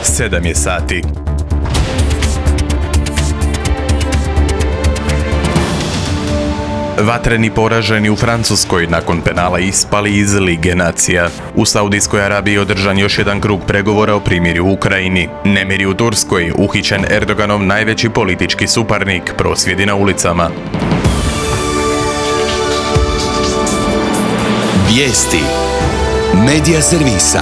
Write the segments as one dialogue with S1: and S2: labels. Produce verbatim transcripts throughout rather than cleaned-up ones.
S1: sedam je sati. Vatreni poraženi u Francuskoj nakon penala ispali iz Lige nacija. U Saudijskoj Arabiji održan još jedan krug pregovora o primirju u Ukrajini. Nemiri u Turskoj, uhićen Erdoganov najveći politički suparnik, prosvjedi na ulicama.
S2: Vijesti Medija servisa.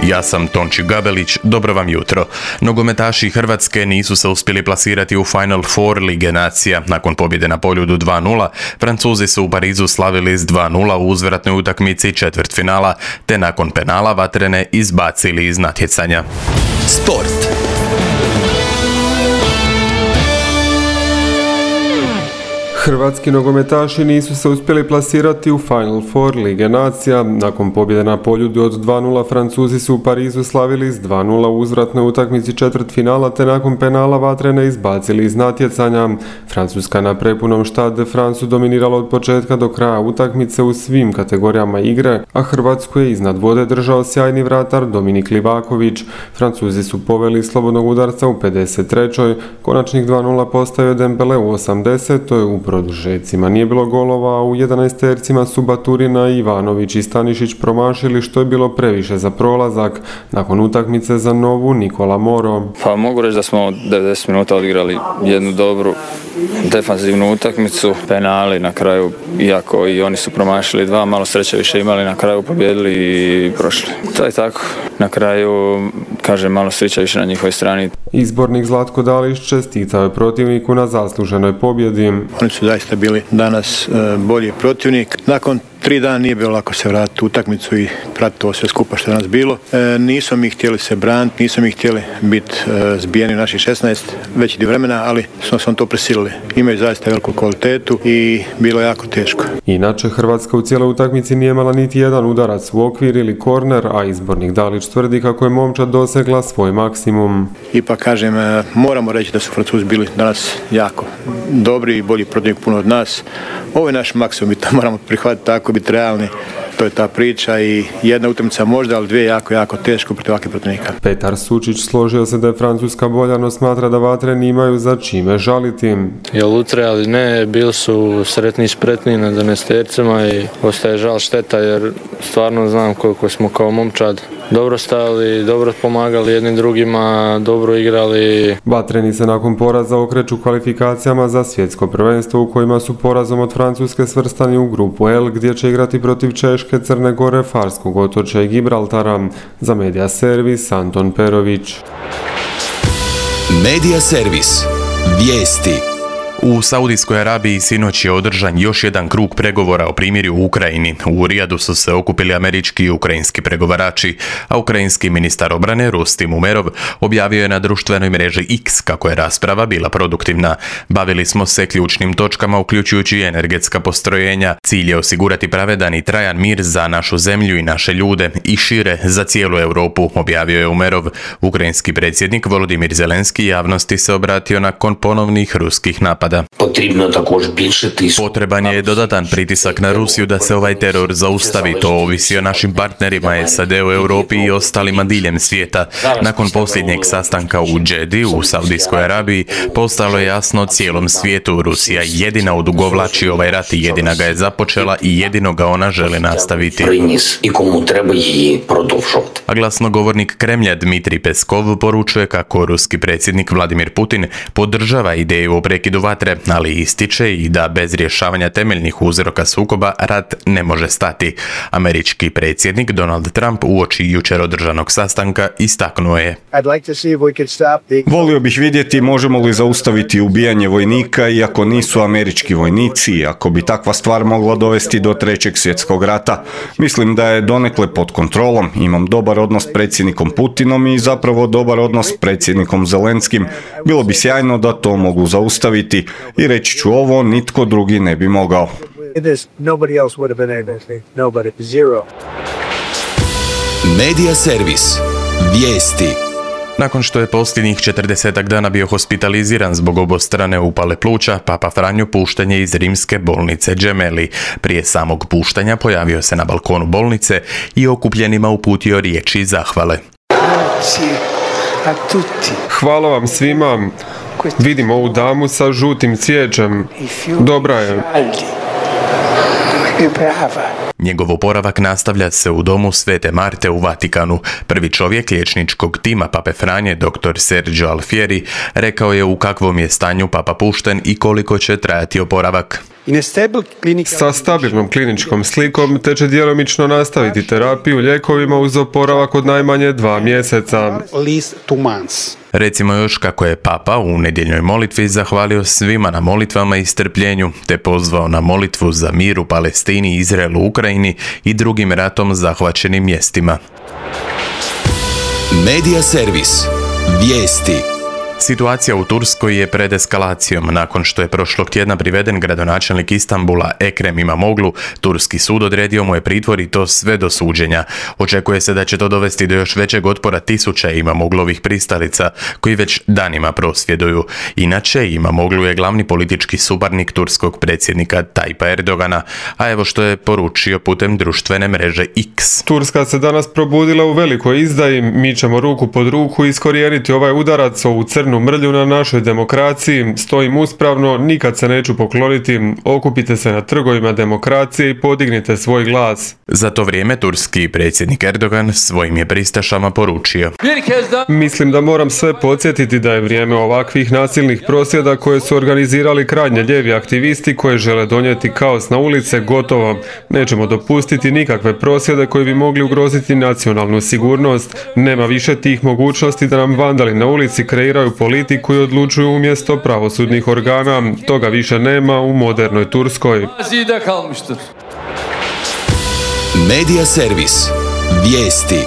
S1: Ja sam Tonči Gabelić, dobro vam jutro. Nogometaši Hrvatske nisu se uspjeli plasirati u Final Four Lige nacija. Nakon pobjede na Poljudu dva nula, Francuzi su u Parizu slavili s dva nula u uzvratnoj utakmici četvrtfinala, te nakon penala vatrene izbacili iz natjecanja.
S2: Sport.
S3: Hrvatski nogometaši nisu se uspjeli plasirati u Final Four Lige nacija. Nakon pobjede na Poljudu od dva nula, Francuzi su u Parizu slavili s dva nula u uzvratnoj utakmici četvrtfinala, te nakon penala vatrene izbacili iz natjecanja. Francuska na prepunom Stade de France dominirala od početka do kraja utakmice u svim kategorijama igre, a Hrvatsku je iznad vode držao sjajni vratar Dominik Livaković. Francuzi su poveli slobodnog udarca u pedeset trećoj Konačnih dva nula postavio Dembele u osamdesetoj U produžecima nije bilo golova, a u jedanaestercima su Baturina, Ivanović i Stanišić promašili, što je bilo previše za prolazak. Nakon utakmice za Novu, Nikola Moro.
S4: Pa mogu reći da smo devedeset minuta odigrali jednu dobru defanzivnu utakmicu, penali na kraju, iako i oni su promašili dva, malo sreće više imali, na kraju pobjedili i prošli. To je tako. Na kraju, kažem, malo sreće više na njihovoj strani.
S3: Izbornik Zlatko Dalić čestitao je protivniku na zasluženoj pobjedi.
S5: Oni su zaista bili danas bolji protivnik. Nakon tri dana nije bilo lako se vratiti u utakmicu i pratiti ovo sve skupa što je nas bilo. E, nisu mi htjeli se braniti, nisu mi htjeli biti e, zbijeni u naših šesnaest veći dio vremena, ali smo se to prisilili. Imaju zaista veliku kvalitetu i bilo je jako teško.
S3: Inače, Hrvatska u cijeloj utakmici nije imala niti jedan udarac u okvir ili korner, a izbornik Dalić tvrdi kako je momčad dosegla svoj maksimum.
S5: Ipak kažem, e, moramo reći da su Francuzi bili danas jako dobri i bolji protivnik puno od nas. Ovo je naš maksimum i to moramo prihvatiti tako, biti realni. To je ta priča i jedna utakmica možda, ali dvije jako, jako teško protiv ovakvih protivnika.
S3: Petar Sučić složio se da je Francuska bolja, no smatra da vatreni imaju za čime žaliti.
S6: Jel utre, ali ne, bili su sretni i spretni na dvanaestercima i ostaje žal šteta jer stvarno znam koliko smo kao momčad dobro stajali, dobro pomagali jednim drugima, dobro igrali.
S3: Vatreni se nakon poraza okreću kvalifikacijama za svjetsko prvenstvo u kojima su porazom od Francuske svrstani u grupu L, gdje će igrati protiv Češke, Crne Gore, Farskog otočja i Gibraltara. Za Medija servis Anton Perović.
S2: Medija servis. Vijesti.
S1: U Saudijskoj Arabiji sinoć je održan još jedan krug pregovora o primirju u Ukrajini. U Rijadu su se okupili američki i ukrajinski pregovarači, a ukrajinski ministar obrane Rustim Umerov objavio je na društvenoj mreži X kako je rasprava bila produktivna. Bavili smo se ključnim točkama uključujući i energetska postrojenja. Cilj je osigurati pravedan i trajan mir za našu zemlju i naše ljude i šire za cijelu Europu, objavio je Umerov. Ukrajinski predsjednik Volodimir Zelenski javnosti se obratio nakon ponovnih ruskih napada. Potreban je dodatan pritisak na Rusiju da se ovaj teror zaustavi. To ovisi o našim partnerima S A D u Europi i ostalima diljem svijeta. Nakon posljednjeg sastanka u Džedi u Saudijskoj Arabiji postalo je jasno cijelom svijetu. Rusija jedina odugovlači ovaj rat i jedina ga je započela i jedino ga ona želi nastaviti. A glasnogovornik Kremlja Dmitrij Peskov poručuje kako ruski predsjednik Vladimir Putin podržava ideju o prekidu vatre, ali ističe i da bez rješavanja temeljnih uzroka sukoba rat ne može stati. Američki predsjednik Donald Trump uoči jučer održanog sastanka istaknuo je:
S7: Volio bih vidjeti možemo li zaustaviti ubijanje vojnika iako nisu američki vojnici, ako bi takva stvar mogla dovesti do trećeg svjetskog rata. Mislim da je donekle pod kontrolom. Imam dobar odnos s predsjednikom Putinom i zapravo dobar odnos s predsjednikom Zelenskim. Bilo bi sjajno da to mogu zaustaviti. I reći ću ovo, nitko drugi ne bi mogao.
S2: Medija servis. Vijesti.
S1: Nakon što je posljednjih četrdesetak dana bio hospitaliziran zbog obostrane upale pluća, Papa Franjo pušten je iz rimske bolnice Gemelli. Prije samog puštanja pojavio se na balkonu bolnice i okupljenima uputio riječi zahvale.
S8: Grazie.
S3: Hvala vam svima. Vidim ovu damu sa žutim cvijećem. Dobra je.
S1: Njegov oporavak nastavlja se u domu Svete Marte u Vatikanu. Prvi čovjek liječničkog tima Pape Franje, dr. Sergio Alfieri, rekao je u kakvom je stanju Papa pušten i koliko će trajati oporavak.
S3: Sa stabilnom kliničkom slikom te će djelomično nastaviti terapiju lijekovima uz oporavak od najmanje dva mjeseca.
S1: Recimo još kako je Papa u nedjeljnoj molitvi zahvalio svima na molitvama i strpljenju, te pozvao na molitvu za mir u Palestini, Izraelu, Ukrajini i drugim ratom zahvaćenim mjestima.
S2: Medija servis. Vijesti.
S1: Situacija u Turskoj je pred eskalacijom. Nakon što je prošlog tjedna priveden gradonačelnik Istanbula Ekrem Imamoglu, turski sud odredio mu je pritvor i to sve do suđenja. Očekuje se da će to dovesti do još većeg otpora tisuća Imamoglovih pristalica, koji već danima prosvjeduju. Inače, Imamoglu je glavni politički suparnik turskog predsjednika Tajpa Erdogana, a evo što je poručio putem društvene mreže X.
S3: Turska se danas probudila u velikoj izdaji. Mi ćemo ruku pod ruku iskorijeniti ovaj udarac, ovu crnu mrlju na našoj demokraciji. Stojim uspravno, nikad se neću pokloniti. Okupite se na trgovima demokracije i podignite svoj glas.
S1: Za to vrijeme turski predsjednik Erdogan svojim je pristašama poručio:
S3: Mislim da moram sve podsjetiti da je vrijeme ovakvih nasilnih prosvjeda koje su organizirali krajnje lijevi aktivisti koji žele donijeti kaos na ulice gotovo. Nećemo dopustiti nikakve prosvjede koji bi mogli ugroziti nacionalnu sigurnost. Nema više tih mogućnosti da nam vandali na ulici kreiraju politiku i odlučuju umjesto pravosudnih organa. Toga više nema u modernoj Turskoj.
S2: Medija servis. Vijesti.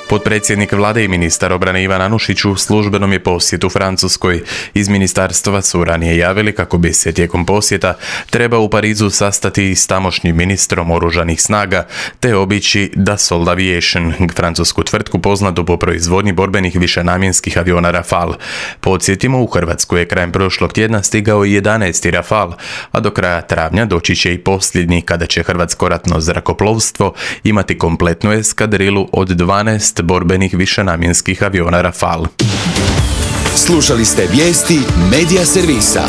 S1: Potpredsjednik vlade i ministar obrane Ivan Anušić u službenom je posjetu Francuskoj. Iz ministarstva su ranije javili kako bi se tijekom posjeta trebao u Parizu sastati s tamošnjim ministrom oružanih snaga te obići Dassault Aviation, francusku tvrtku poznatu po proizvodnji borbenih višenamjenskih aviona Rafale. Podsjetimo, u Hrvatsku je krajem prošlog tjedna stigao jedanaesti Rafale, a do kraja travnja doći će i posljednji kada će hrvatsko ratno zrakoplovstvo imati kompletnu eskadrilu od dvanaest borbenih višenamjenskih aviona Rafale.
S2: Slušali ste vijesti Medija servisa.